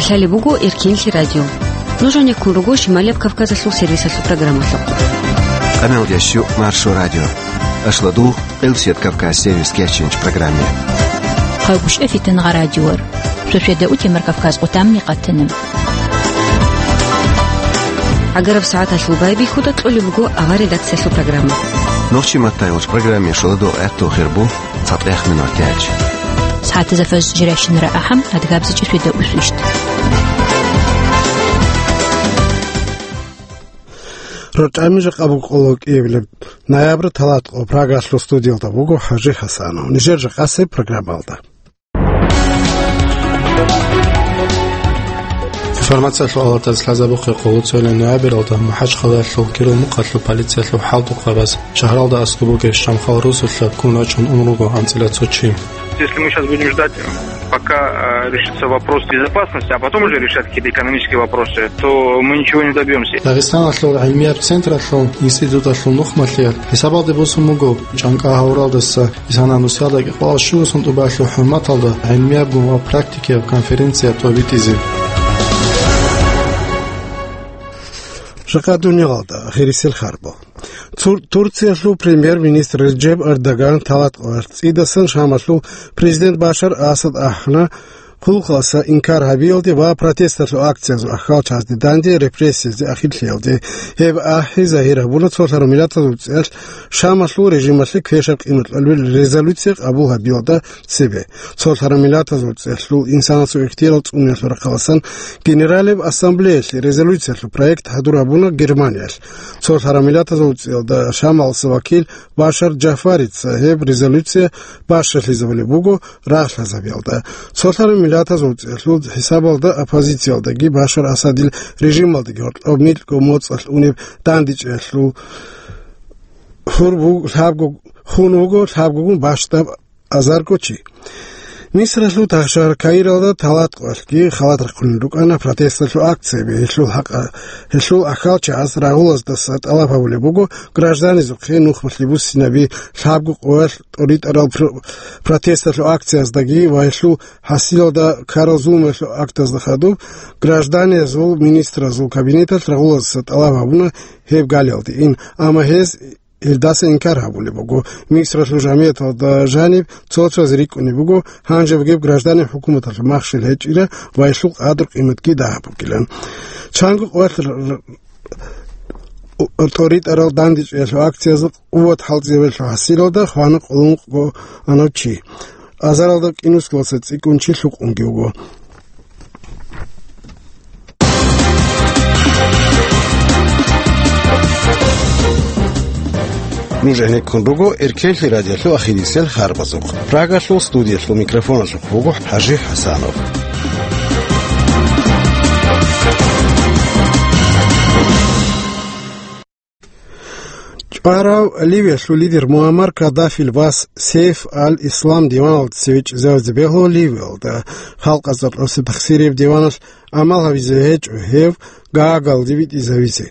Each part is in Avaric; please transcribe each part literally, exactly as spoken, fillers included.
Лъалеб буго Эркенлъи радио. Нуж гьанеккун руго Шималияб Кавказалъул сервисалъул программалъухъ. Къаналдящу Маршо радио. Ашладугъ, Къилсият Кавказ сервис кечинч программе. Хъалгушев Фитангъа радиор. Шошеда утемар Кавказ къутамни къатана. Агараб сагӀаталъул байбихьуда кьолеб буго авар редакциялъул программа. Нохчи маттайгъуч программе шоладугъ гӀехтул хирбу. ЦатӀех минут яч. СагӀатазда фажр жирайщинара ахӀам, адгабзичӀи светда усвищт. РачӀами жакъа букӀулеб кӀиабилеб ноябрь талатӀо Прагалъул студиялда буго ХӀажи ХӀасанов. Нижер жакъасеб программалда. Информациялъул алатаз лъазабухъе къолоцойлан ноябралда МухӀажхъалаялъул Кирил мухъалъул полициялъул хӀалтӀухъабаз шагьаралда аскӀоб бугеб Шамхал росулъа ккун рачун ун руго анцӀила цо чи. Если мы сейчас будем ждать, пока, э, решится вопрос безопасности, а потом уже решать какие-то экономические вопросы, то мы ничего не добьемся. Дагъистаналъул гӀилмияб централъул институталъул нухмалъияб хӀисабалде босун буго, чӀанкӀа гьавуралдаса Исана нусиялда кӀикъоялда щуго сон тӀубалъул хӀурматалда гӀилмиябгун ва практикияб конференция тӀобитӀизе. Жакъа дуниялалда гъирисел харбал. Цур-, Турциялъул премьер-министр Реджеп Эрдоган талатӀоялъ цӀидасан Шамалъул президент Башар Асад ахӀана, хъулухъалдаса инкар гьабиялде ва протесталъул акциязул ахӀалчазде данде репрессиязе ахирлъиялде. Гьеб ахӀи загьир гьабуна цолъараб миллатазул цӀеялъ Шамалъул режималъе квешаб къимат кьолеб резолюция къабул гьабиялда цебе. Цолъараб миллатазул цӀеялъул инсанасул ихтияр цӀуниялъул рахъаласан Генералияб ассамблеялъе резолюциялъул проект хӀадур гьабуна Германиялъ. Цолъараб миллатазул цӀеялда Шамалдаса вакил Башар Джафарица гьеб резолюция бащалъизабулеб буго рагъ лъазабиялда. Цолъараб миллатазул цӀеялъул хӀисабалда оппозициялдаги Башар Асадил режималдаги гьоркьоб микьго моцӀалъ унеб дандечӀеялъул хун буг-, лъабго-, хун вуго лъабгогун бащдаб азарго чи. Мисралъул тахшагьар Каиралда талатӀоялъги халат рахъунел рукӀана протесталъул акцияби. Гьелъул хӀакъа-, гьелъул ахӀалчагӀаз рагьулаздаса тӀалаб гьабулеб буго гражданизухъе нухмалъи буссинаби лъабго къоялъ тӀоритӀарал пр-, протесталъул акцияздаги ва гьелъул хӀасилалда ккарал зулмуялъул актазда хадуб. Гражданазул министразул кабинеталъ рагьулаздаса тӀалаб гьабуна гьеб галиялде ин, амма гьез гьелдаса инкар гьабулеб буго. Мисралъул жамигӀаталда жаниб цо-цояз рикӀкӀунеб буго, гьанже бугеб гражданин хӀукуматалъул махщел гьечӀила ва гьелъул къадру-къиматги дагьаб бугилан. Чанго къоялъ р-, р-, тӀоритӀарал дандечӀеялъул акциязда къуват хӀалтӀизабиялъул хӀасилалда хвана къуллукъго анав чи. Азаралда кӀинусгалдаса цӀикӀкӀун чи лъукъунги вуго. Нуж гӀенеккун руго Эркенлъи радиолъул ахирисел харбазухъ. Прагалъул студиялъул микрофоналъухъ вуго ХӀажи ХӀасанов. ЧӀварав Ливиялъул лидер Муаммар Каддафил вас Сейф аль-Ислам диваналда цеве чӀезавизе бегьула Ливиялда. Халкъазда кьурсеб тахсирияб диваналъ гӀамал гьабизе гьечӀо гьев Гаагалде витӀизавизе.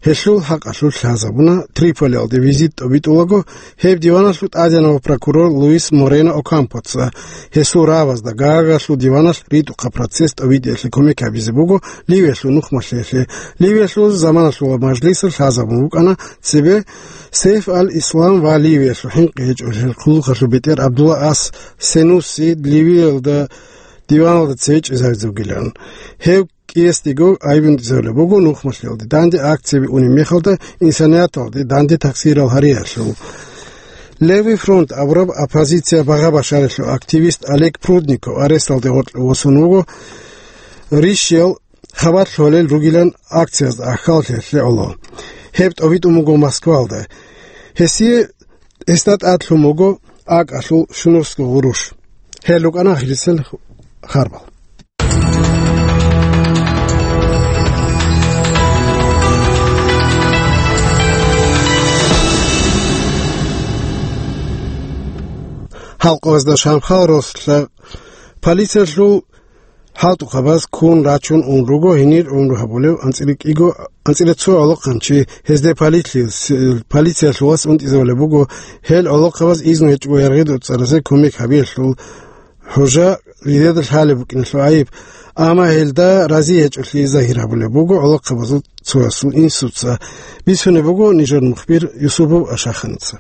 Гьелъул хӀакъалъулъ лъазабуна Триполиялде визит тӀобитӀулаго, гьеб диваналъул тӀадегӀанав прокурор Луис Морено Окампоца. Гьесул рагӀабазда Гаагалъул диваналъ ритӀухъаб процесс тӀобитӀиялъе кумек гьабизе буго Ливиялъул нухмалъиялъе. Ливиялъул заманалъул мажлисалъ лъазабун букӀана цебе Сейф аль-Ислам ва Ливиялъул хӀинкъи гьечӀолъи хъулухъалъул бетӀер Абдулла ас Сенуси Ливиялда диваналда цеве чӀезавизе вугилан. Гьев кӀиясдего айбун тӀизабулеб буго нухмалъиялде данде акцияби унеб мехалда инсанияталде данде тахсирал гьариялъул. Левый фронт абураб оппозиция багъа-башаралъул активист Олег Прудников аресталде гъоркье восун вуго, рищиял хабар лъолел ругилан акциязда ахьаллъиялъе гӀоло. Гьеб тӀобитӀун буго Москвалда. Гьесие, гьесда тӀадлъун буго акӀалъул щунусго гъурущ. Гьел рукӀана ахирисел харбал. Халкъазда Шамхал росулъа полициялъул хӀалтӀухъабаз ккун рачун ун руго гьенир гӀумру гьабулев анцӀила кӀиго, анцӀила цо гӀолохъанчи. Гьезде полициялъ-, полициялъул вас унтӀизабулеб буго, гьел гӀолохъабаз изну гьечӀого яргъи доцӀцӀаразе кумек гьабиялъул. ХӀужа жидеда лъалеб букӀиналъул гӀайиб, амма гьелда рази гьечӀолъи загьир гьабулеб буго гӀолохъабазул цоясул инсуца, бицунеб буго нижер мухбир Юсупов Ашаханица.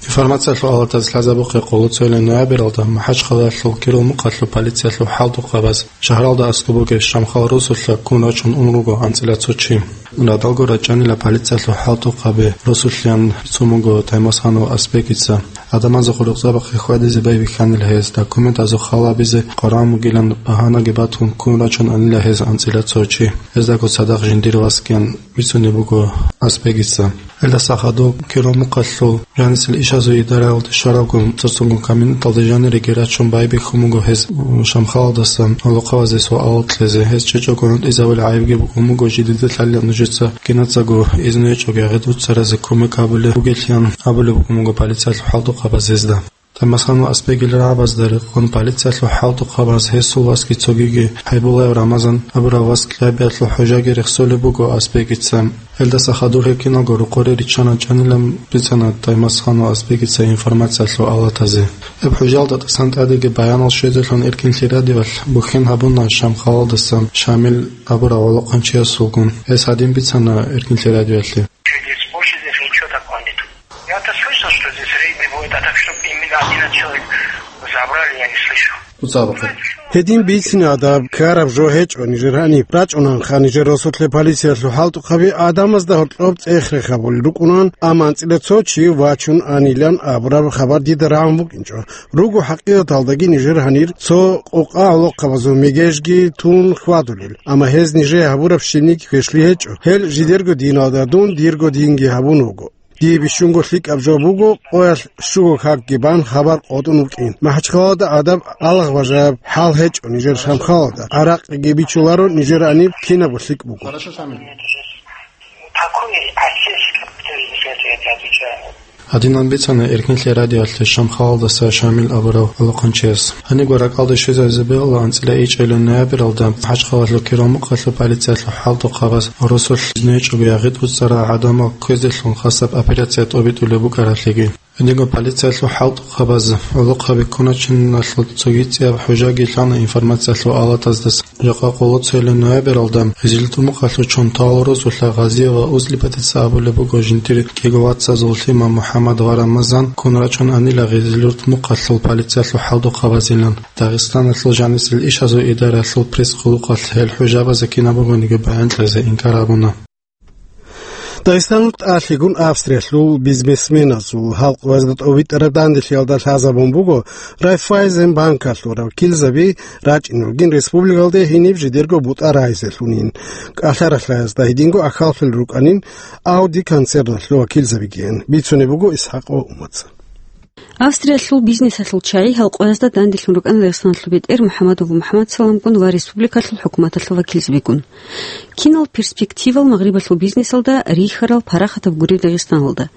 Информациялъул алатаз лъазабухъе, къоло цоялъул ноябралда МахӀачхъалаялъул Кирил мухъалъул полициялъул хӀалтӀухъабаз шагьаралда аскӀоб бугеб Шамхал росулъа ккун рачун ун руго анцӀила цо чи. Радалго рачӀанила полициялъул хӀалтӀухъаби росулъеян бицун буго Таймасханов Аспекица. Гьадамазда гъоркьзабахъе хьвадизе байбихьанила гьез, документазул хал гьабизе къваригӀун бугилан багьанаги батун ккун рачун анила гьез анцӀила цо чи. Гьездаго цадахъ жиндир васги ан бицунеб буго Аспекица. Гьелдаса хадуб Кирил мухъалъул жанисел ишазул идараялде щварабгун цоцазул коменданталде жаниреги рачун байбихьун буго гьез Шамхалалдасан гӀолохъабазе суал кьезе. Гьез чӀечӀого гӀунтӀизабулеб гӀайибги букӀун буго, жидеда лъалеб нужеца кинацаго изну гьечӀого ягъид-вуццаразе кумек гьабулеб бугелъан абулеб букӀун буго полициялъул хӀалтӀухъабаз гьезда. Таймасханов Аспекил рагӀабазда рекъон полициялъул хӀалтӀухъабаз гьесул васги цогиги Хабибуллаев Рамазан абурав вас кьабиялъул хӀужаги рехсолеб буго Аспекица. Гьелдаса хадуб гьеб киналго рокъоре риччан рачӀанилан бицана Таймасханов Аспекица информациялъул алатазе. Гьеб хӀужаялда тӀасан тӀадеги баянал щвезелъун Эркинлъи радиоялъ бухьен гьабуна Шамхалалдаса Шамил абурав гӀолохъанчиясулгун. Гьес гьадин бицана Эркинлъи радиоялъе. Здесь больше здесь ничего такого нет. Я-то слышал, что здесь рейды бывают, а так, чтоб именно одиннадцать человек забрали, я не слышал. Гьедин бицине гьадаб ккараб жо гьечӀо нижер гьаниб. РачӀунанха нижер росулъе полициялъул хӀалтӀухъаби гӀадамазда гьоркьоб цӀех-рех гьабулел рукӀунан, амма анцӀила цо чи вачун анилан абураб хабар дида рагӀун букӀинчӀо. Руго хӀакъикъаталдаги нижер гьанир цо къокъа гӀолохъабазул мегежги тун хьвадулел, амма гьез нижее гьабураб щибниги квешлъи гьечӀо. Гьел жидерго диналда дун дирго динги гьабун вуго. Дие бищунго лъикӀаб жо буго, къоялъ щуго какги бан хабар къотӀун вукӀин. МахӀачхъалада гӀадаб алгъ бажараб хӀал гьечӀо нижер Шамхалалда. ГӀаракъиги бичуларо нижер гьаниб кинабго лъикӀ буго. Такой отец, который отвечает. Гьадинан бицана Эркинлъи радиоялъе Шамхалалдаса Шамил абурав гӀолохъанчияс. Гьанибго ракӀалде щвезабизе бегьула анцӀила ичӀелин ноябралда МахӀачхъалаялъул Кирил мухъалъул полициялъул хӀалтӀухъабаз росулъ изну гьечӀого ягъид-вуццарал гӀадамал кквезелъун хасаб операция тӀобитӀулеб букӀаралъеги. Гьединго полициялъул хӀалтӀухъабаз гӀолохъаби ккуначиналъул цогидаб хӀужаги лъана информациялъул алатаздаса. Жакъа къоло цоялъул ноябралда Гъизилуртмухъалъул Чонтал росулъа Гъазиева Услипатица абулеб буго жиндир кӀиго вацазул лъимал МухӀаммад ва Рамазан ккун рачун анила Гъизилуртмухъалъул полициялъул хӀалтӀухъабазилан. Дагъистаналъул жанисел ишазул идараялъул пресс-къулухъалъ гьел хӀужабазе кинаб бугониги баян кьезе инкар гьабуна. Дагъистаналъ тӀалъигун Австриялъул бизнесменазул гьалкъуязда тӀовитӀараб данделъиялда лъазабун буго Райффайзен банкалъул вакилзаби рачӀине ругин республикалде гьениб жидерго бутӀа рагьизелъунин. КӀалъаралъаязда гьединго ахӀаллъулел рукӀанин Ауди концерналъул вакилзабигиян, бицунеб буго ИсхӀакъ Умаца. Австриялъул бизнесалъул чагӀи гьалкъуязда данделъун рукӀана Дагъистаналъул бетӀер МухӀаммадов МухӀаммадсаламгун ва республикалъул хӀукуматалъул вакилзабигун. Кинал перспективал Магърибалъул бизнесалда рихьарал парахатаб гуреб Дагъистаналда?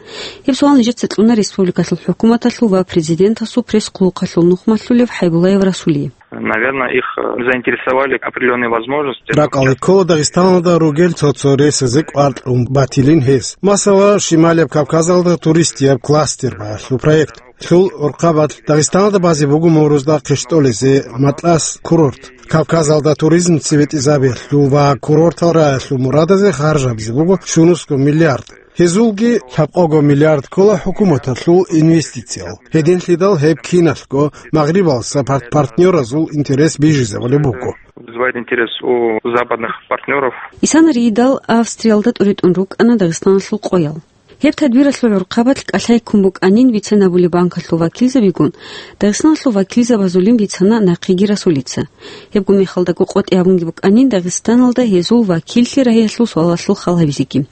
Гьеб суал нижеца кьуна республикалъул хӀукуматалъул ва президентасул пресс-къулухъалъул нухмалъулев ХӀайбуллаев Расулие. Наверное, их, э, заинтересовали определённые возможности. Ракъалде ккола Дагъистаналда ругел цо-цо ресазе кӀвар кьун батилин гьес. Масала, Шималияб Кавказалда туристияб кластер багьалъул проект. Лъул гӀурхъабалъ Дагъистаналда базе буго Мурузда хъищтӀолезе Матлас курорт. Кавказалда туризм цебетӀезабиялъул ва курортал рагӀиялъул мурадазе харжабизе буго щунусго миллиард. Гьезулги лъабкъого миллиард ккола хӀукуматалъул инвестициял. Гьединлъидал гьеб киналъго Магърибалса пар-, партнёразул интерес бижизабулеб буго. Вызывает интерес у западных партнёров. Исана рийидал Австриялда тӀуритӀун рукӀана Дагъистаналъул къоял. Гьеб тадбиралъул гӀурхъабалъ кӀалъай ккун букӀанин бицанабулеб банкалъул вакилзабигун, Дагъистаналъул вакилзабазулин бицана нахъеги Расулица. Гьебго мехалдаго къотӀи гьабунги букӀанин Дагъистаналда гьезул вакиллъи рагьиялъул суалалъул хал гьабизеги.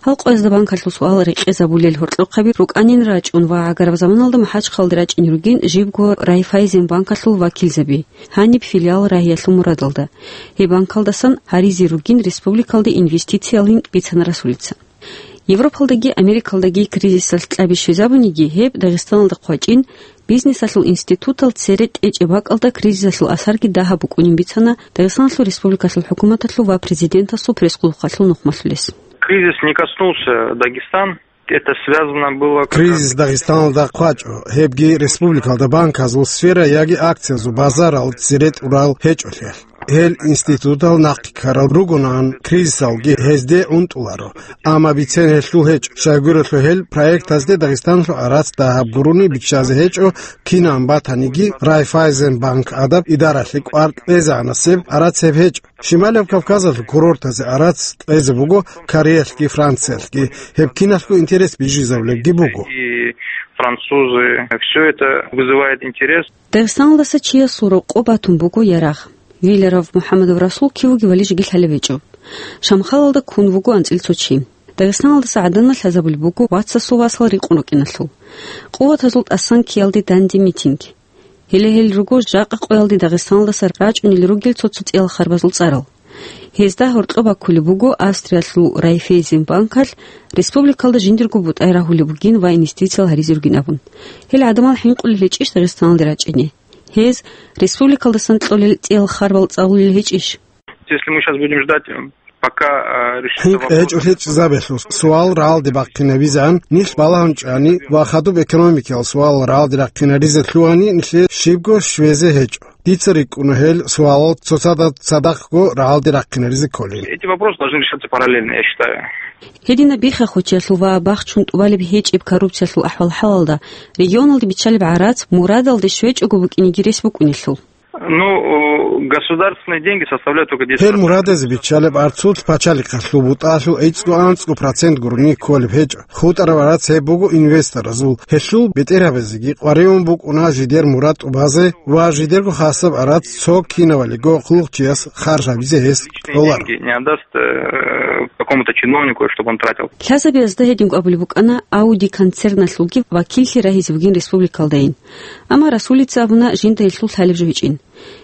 Гьалкъуязда банкалъул суал рекъезабулел гьоркьохъаби рукӀанин рачӀун ва гӀагараб заманалда МахӀачхъалде рачӀине ругин жибго Райффайзен банкалъул вакилзаби, гьаниб филиал рагьиялъул мурадалда. Гьеб банкалдасан гьаризе ругин республикалде инвестициялин бицана Расулица. Европалдаги Америкалдаги кризисалъ кьаби щвезабуниги, гьеб Дагъистаналда хъвачӀин, бизнесалъул институтал цере тӀечӀеб бакӀалда кризисалъул асарги дагьаб букӀунин бицана Дагъистаналъул республикалъул хӀукуматалъул ва президентасул пресс-къулухъалъул нухмалъулес. Кризис не коснулся Дагестан. Это связано было как раз... Кризис Дагъистаналда хъвачӀо, гьебги республикалда банказул сфера яги акциязул базарал цере тӀурал гьечӀолъиялъ. Гьел институтал нахъе ккарал ругонаан, кризисалги гьезде унтӀуларо. Амма бицен гьелъул гьечӀо, щайгурелъул гьел проектазде Дагъистаналъул гӀарац дагьаб гурони биччазе гьечӀо, кинаб батаниги Райффайзенбанк гӀадаб идаралъе кӀвар кьезегӀанасеб гӀарац гьеб гьечӀо. Щималаб Кавказалъул курортазе гӀарац кьезе буго Кореялъги Франциялъги. Гьеб киналъго интерес бижизабулебги буго. И французы, всё это вызывает интерес. Дагъистаналдаса чиясул рокъоб батун буго ярагъ. Виляров МухӀаммадов Расул кив вугевали жеги лъалеб гьечӀо. Шамхалалда ккун вуго анцӀил цо чи. Дагъистаналдаса гӀадамал лъазабулеб буго вацасул васал рикъун рукӀиналъул. Къуватазул тӀасан ккеялде данде митинг. Гьеле гьел руго жакъа къоялде Дагъистаналдаса рачӀунел ругел цо-цо цӀиял харбазул цӀарал. Гьезда гьоркьоб баккулеб буго Австриялъул Райффайзенбанкалъ республикалда жиндирго бутӀай рагьулеб бугин ва инвестициял гьаризе ругин абун. Гьел гӀадамал хӀинкъулел гьечӀищ Дагъистаналде рачӀине? Гьез республикалдасан кьолел цӀиял харбал цӀалулел гьечӀищ? Если мы щас будем ждать, э, пока, э, решится... ХӀинкъи вопрос. ГьечӀолъи чӀезабелъул суал рагӀалде бахъинабизегӀан, нилъ балагьун чӀани ва хадуб экономикиял суал рагӀалде рахъинаризе лъугьани, нилъее щибго щвезе гьечӀо. Дица рикӀкӀуна гьел суалал цоцазда цадахъго рагӀалде рахъинаризе кколин. Эти вопросы должны решаться параллельно, я считаю. Гьединаб бихахъучиялъул ва бахчун тӀубалеб гьечӀеб коррупциялъул ахӀвал-хӀалалда регионалде биччалеб гӀарац мурадалде щвечӀого букӀинеги рес букӀунелъул. Ну, э, государственные деньги составляют только десять процентов. Гьел мурадазе биччалеб гӀарцул пачалихъалъул бутӀалъул гӀицӀго-анцӀго процент гурони кколеб гьечӀо. ХутӀараб гӀарац гьеб буго инвесторазул. Гьелъул бетӀергьабазеги къваригӀун букӀуна жидер мурад тӀубазе ва жидерго хасаб гӀарац цо кинавалиго хъулухъчияс харж гьабизе гьес кьоларо. Деньги не отдаст, э, какому-то чиновнику, чтобы он тратил. Лъазабиязда гьединго абулеб букӀана Ауди концерналъулги вакиллъи рагьизе бугин республикалдайин. Амма Расулица абуна жинда гьелъул лъалеб жо гьечӀин.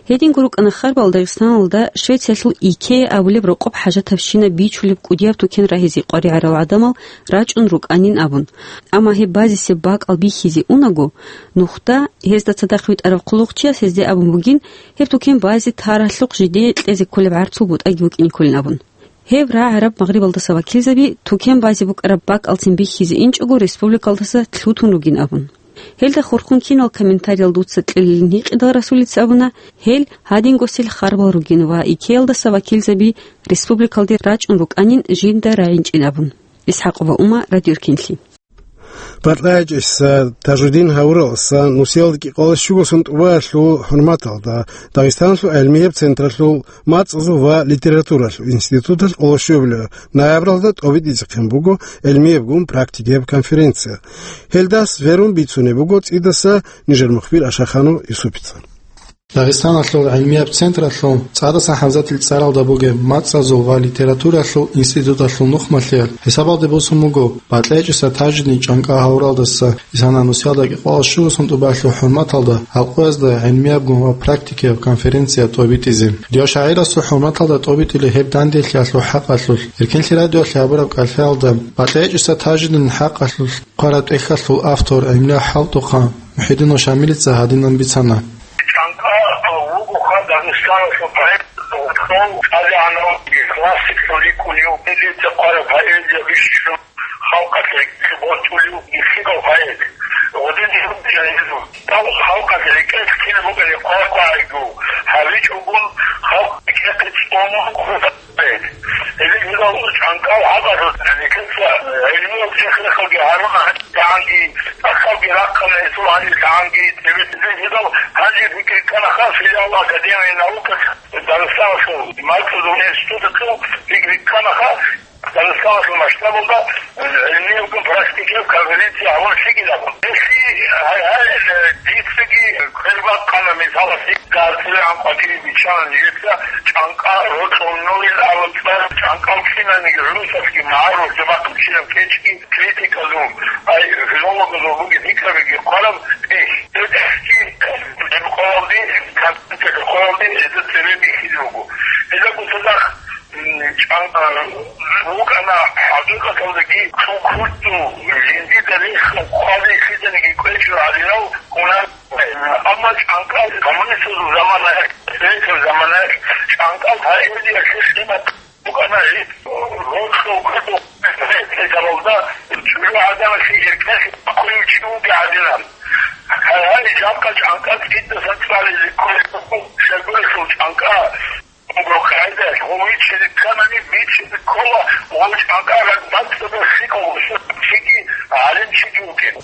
Гьединго рукӀана харбал Дагъистаналда Швециялъул ИКЕА абулеб рокъоб хӀажатабщинаб бичулеб кӀудияб тукен рагьизе къваригӀарал гӀадамал рачӀун рукӀанин абун. Амма гьеб базисеб бакӀал бихьизе унаго, нухда, гьезда цадахъ витӀарав хъулухъчияс гьезде абун бугин, гьеб тукен базе таралъухъ жидее кьезе кколеб гӀарцул бутӀаги букӀине кколин абун. Гьеб рагӀараб Магърибалдаса вакилзаби тукен базе букӀараб бакӀалцин бихьизе инчӀого республикалдаса лъутун ругин абун. Гьелда хурхун кинал комментариялда дуца кьелилин гьикъидал Расулица абуна, гьел гьадингосел харбал ругин ва ИКЕАлдаса вакилзаби республикалде рачӀун рукӀанин жинда рагӀинчӀин абун. ИсхӀакъова Ума, Радио Эркенлъи. БатӀлайчӀиса Тажудин гьавураласа нусиялда кӀикъоялда щуго сон тӀубаялъул хӀурматалда Дагъистаналъул гӀелмияб централъул мацӀазул ва литературалъул институталъ къоло щуябилеб ноябралда тӀобитӀизехъин буго гӀелмиябгун практикияб конференция. Гьелдас верун бицунеб буго цӀидаса нижер мухбир Ашаханов Юсупица. Дагъистаналъул гӀилмияб централъул ЦӀадасан ХӀамзатил цӀаралда бугеб мацӀазул ва литературалъул институталъул нухмалъиялъ хӀисабалде босун буго БатӀлайчӀиса Тажудин чӀанкӀа гьавуралдаса исана нусиялда кӀикъоялда щуго сон тӀубаялъул хӀурматалда гьалкъоязда гӀилмиябгун ва практикияб конференция тӀобитӀизе. Дио шагӀирасул хӀурматалда тӀобитӀулеб гьеб данделъиялъул хӀакъалъулъ, Эркенлъи радиоялъе гьабураб кӀалъаялда, БатӀлайчӀиса Тажудинил хӀакъалъулъ хъвараб тӀехьалъул автор гӀемерав хӀалтӀухъан МухӀидинов Шамилица гьадинан бицана. ЧӀанкӀа вуго ха Дагъистаналъул поэт, ТӀадегӀанав классиклъун рикӀкӀунев, миллица хъвараб поэзия бищун халкъалъ рекӀелъе бортулев ихирав поэт. Гъудин гьев халкъалъ рекӀелъ кинаб букӀине хъвакъвайго, гьабичӀогун халкъ рекӀехъе цӀунун хутӀараб поэт. Гьеле гьелъул чӀанкӀал гьабарал, гьелъул гӀилмиял чехлъиялги гьаруна гьанги, тӀахьалги рахъана гьесул гьанилъ гьанги, гьеле гьелъул гьанже бикьи кканаха филиал Академия наукас Дагъистаналъул мацӀазул институталъул бикьи кканаха Дагъистаналъул масштабалда гӀилмиябгун практикияб конференция гьабун лъикӀилан. Гьелъие гьай-гьай, э, дицаги квербакъана, мисалалъе, ГьарцевегӀан къватӀире биччана нижеца чӀанкӀа рокьулнойин абун цӀар, чӀанкӀал кинаниги гӀурусалъги магӀарулъги бахъинчӀилан кечӀги критиказул, ай, филологазул бугеб пикрабиги хъвараб тӀехь. ГьебтӀехьги гьеб къоялде, конференциялъул къоялде гьезда цебе бихьизе буго. Гьезда цадахъ, м, чӀан-, а, букӀана хӀакъикъаталдаги цо курцу жиндида рехун хъвазе лъиданиги кӀвечӀо гьаринав гьунар. Амма чӀанкӀал коммунистазул заманаялъ, советазул заманаялъ чӀанкӀал поэзиялъе къимат букӀана гьеб рокьул кутакалда чӀужугӀадан Гьале жакъа чӀанкӀа кидасан цӀализе кколеб буго, щайгурелъул чӀанкӀа. Гьеб къагӀидаялъ гъов виччизе кканани, виччизе ккола гъов чӀанкӀа рагбацӀцӀадаб лъикӀав гъосул чиги, гӀалимчиги вукӀин.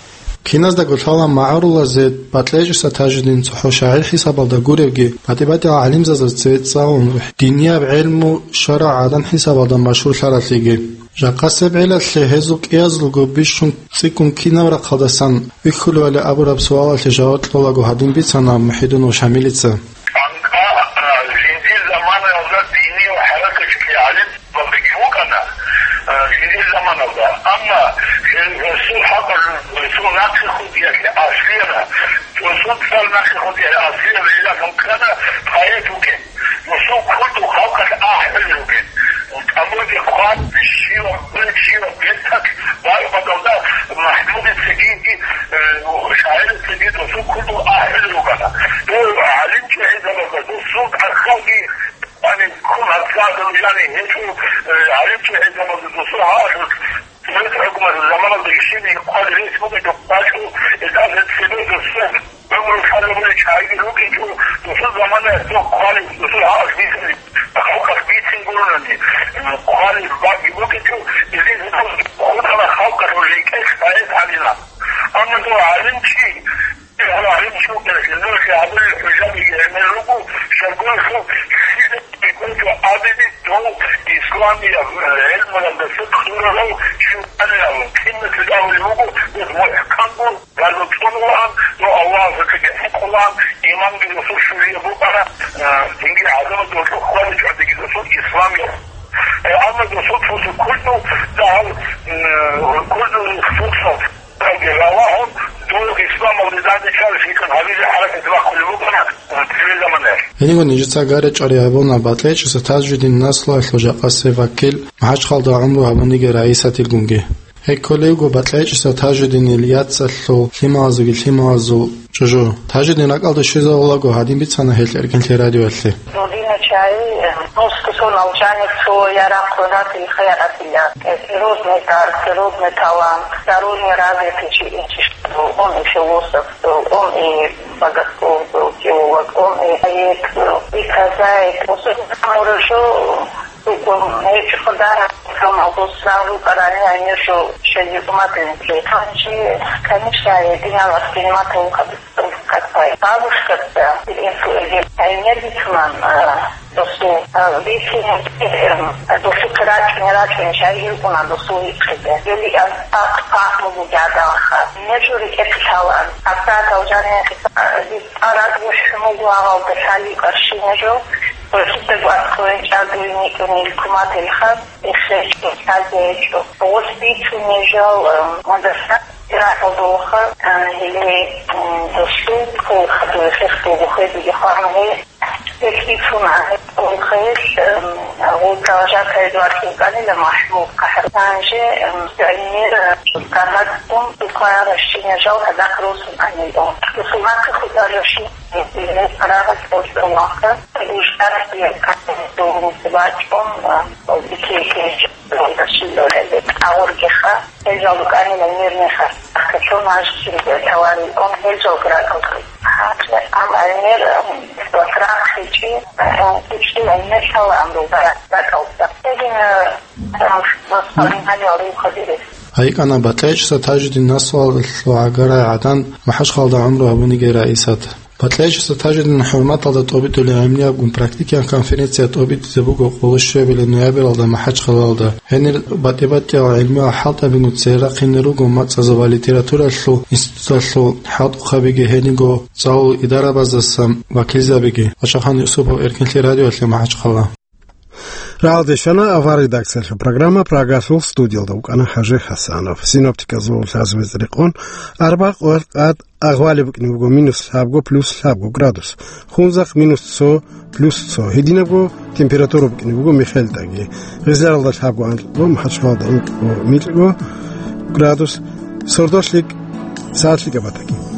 Киназдаго лъала магӀарулазе БатӀлечӀиса Тажидин цохӀо шагӀир хӀисабалда гуревги, батӀи-батӀиял гӀалимзазда цеве цӀалун, динияб гӀелму, шаргӀ, гӀадан хӀисабалда машгьурлъаралъиги. Жакъасеб гӀелалъе гьезул кӀиязулго бищун цӀикӀкӀун кинаб рахъалдасан вихьулевали абураб суалалъе жаваб кьолаго гьадин бицана МухӀидинов Шамилица. ЧӀанкӀа, а, жиндир заманаялда диниял хӀаракаталъе гӀалимзабиги вукӀана, а, жиндир заманалда. Амма гьел-, гьесул хӀакъалъулъ, гьесул нахъе хутӀиялъе аслияла, гьесул цӀар нахъе хутӀиялъе аслияла гӀилалъун ккана поэт вукӀин. Досул кколдул халкъалъ ахӀулел ругел. ТӀамурги хъван, щиваб, щиваб берталъ бакӀалда МахӀмудицаги, э, шагӀирицаги досул кколдул ахӀулел ругана. Дов гӀалимчи гӀезабазда досул тӀахьалги, яни, ккун гьабсагӀадал, яни, гьечӀо, э, гӀалимчи гӀезабазда досул гьалъулъ Совет хӀукуматалъул заманалда ишин хъван рес бугеб бачӀун, гьелдаса цебе досул гӀумру лъазабулел чагӀиги рукӀинчӀо, досул заманаялъ дов хъвалеб, досул гьалъ бицин, халкъалъ бицин гуронани, хъвалеб бакӀги букӀинчӀо, гьезие хутӀана халкъалъул рекӀелъ поэт гьабилан. Амма дов гӀалимчи, гьале гӀалимчи вукӀиналъе, нухалъ гьабулел хӀужабиги гӀемер руго, щайгурелъул лъида кколеб абизе дов исламияб гӀелмуялдаса кьурарав чи вукӀанин абун, киналъе абулеб буго, дов мухӀканго гьалав цӀунулаан, дов Аллагьасукьаги хӀинкъулаан, иманги досул щулияб букӀана, а, динги гӀадамал досул хваличӀодиги досул исламияб. Э, амма досул цо-цо кколдул дагьал, м, кколдул фурсат. Аллагьун дов исламалде дандечӀаралъикӀун гьабизе хӀаракат бахъулеб букӀана цеве заманаялъ. Гьениго нижеца гьаричӀони гьабуна БатӀлечӀиса Тажидин наслуялъул жакъасеб вакил, МахӀачхъалда гӀумру гьабуниги Раисатилгунги. Гьеб кколевго БатӀлечӀиса Тажидинил яцалъул лъималазулги лъималазул чӀужу. Тажидин ракӀалде щвезавулаго гьадин бицана гьел Эркенлъи радиоялъе. Родина чай, э, ну, что сон алжанец, свой яракъ, родатель, хаяратиля. Э, природный дар, природный талант, всесторонне развитый чи-, чиштӀа был. Он и философ был, он и богослов был, теолог, он и поэт был, и прозаик. Особенно хорошо, что он, э, чухударом сам обоссал, параллельно, они же ещё дипломатами были. Там же, конечно, я диняла воспринимать его как как бабушка-то, а, энергичный, а, досу, а, весенний, эм, досу крачун, рачун, чай юкуна досу икхиде. Юли, а, а, а, могу гадалха. Не жури эксалан. А та должны, а, вид арад вуш могу авал досали карши не жо. Просто откроем чаду и никто не ликумат эльха. Эхе, чӀухӀазе гьечӀо. Гъос бицунеб жал, м, мадаса, ирахъалдулха, а, гьеле, м, досул, хъул хадур хехтулгу хведиги хваргье. Гьес бицуна, гьеб хъулухъе гьес, м, гъуда жакъа эдуард вукӀанила МахӀмуд КъахӀраман же, м, гӀемер, м, каргьатун тухарабщинаб жал гьадахъ росун анилан. Досул нахъе хутӀарабщин, гьес рагъалъ кӀочӀолаха, ужараб яккалъе дов бачӀун, м, Гьел жал букӀанила мирный хасахъалъул мажгиталда таварил ун, гьел жал гракӀалда. Амма гӀемер, м, ватрахъичи, м, кучӀдул гӀемер лъала амру гракӀалда. Гьедин, м, воспоминания рухадирес. ГьайкӀана БатӀлечӀиса Тажидин наслуялъул гӀагарай гӀадан МахӀачхъалда гӀумру гьабуниги Раисат. БатӀлечӀиса Тажидин хӀурматалда тӀобитӀулеб гӀемниябгун практикиян конференция тӀобитӀизе буго къолощуябилеб ноябралда МахӀачхъалалда. Гьенир батӀи-батӀиял гӀелмуял хӀалтӀабигун цере рахъине руго мацӀазул ва литературалъул институталъул хӀалтӀухъабиги, гьениго цӀалул идарабаздаса вакилзабиги. Вачагъан Юсупов, Эркенлъи радиоялъе, МахӀачхъала. Рагъалде щвана авар редакциялъул программа, Прагалъул студиялда вукӀана ХӀажи ХӀасанов. Синоптиказул лъазабизе рекъон, арбагъ къоялъ тӀад агъвалеб букӀине буго минус лъабго, плюс лъабго градус, хунзахъ минус цо, плюс цо. Гьединабго температура букӀине буго МихелтӀаги. Гъизаралда лъабго анкьго, МахӀачхъалалда инкьго микьго градус, сордо лъикӀ, сагӀат лъикӀаб батаги.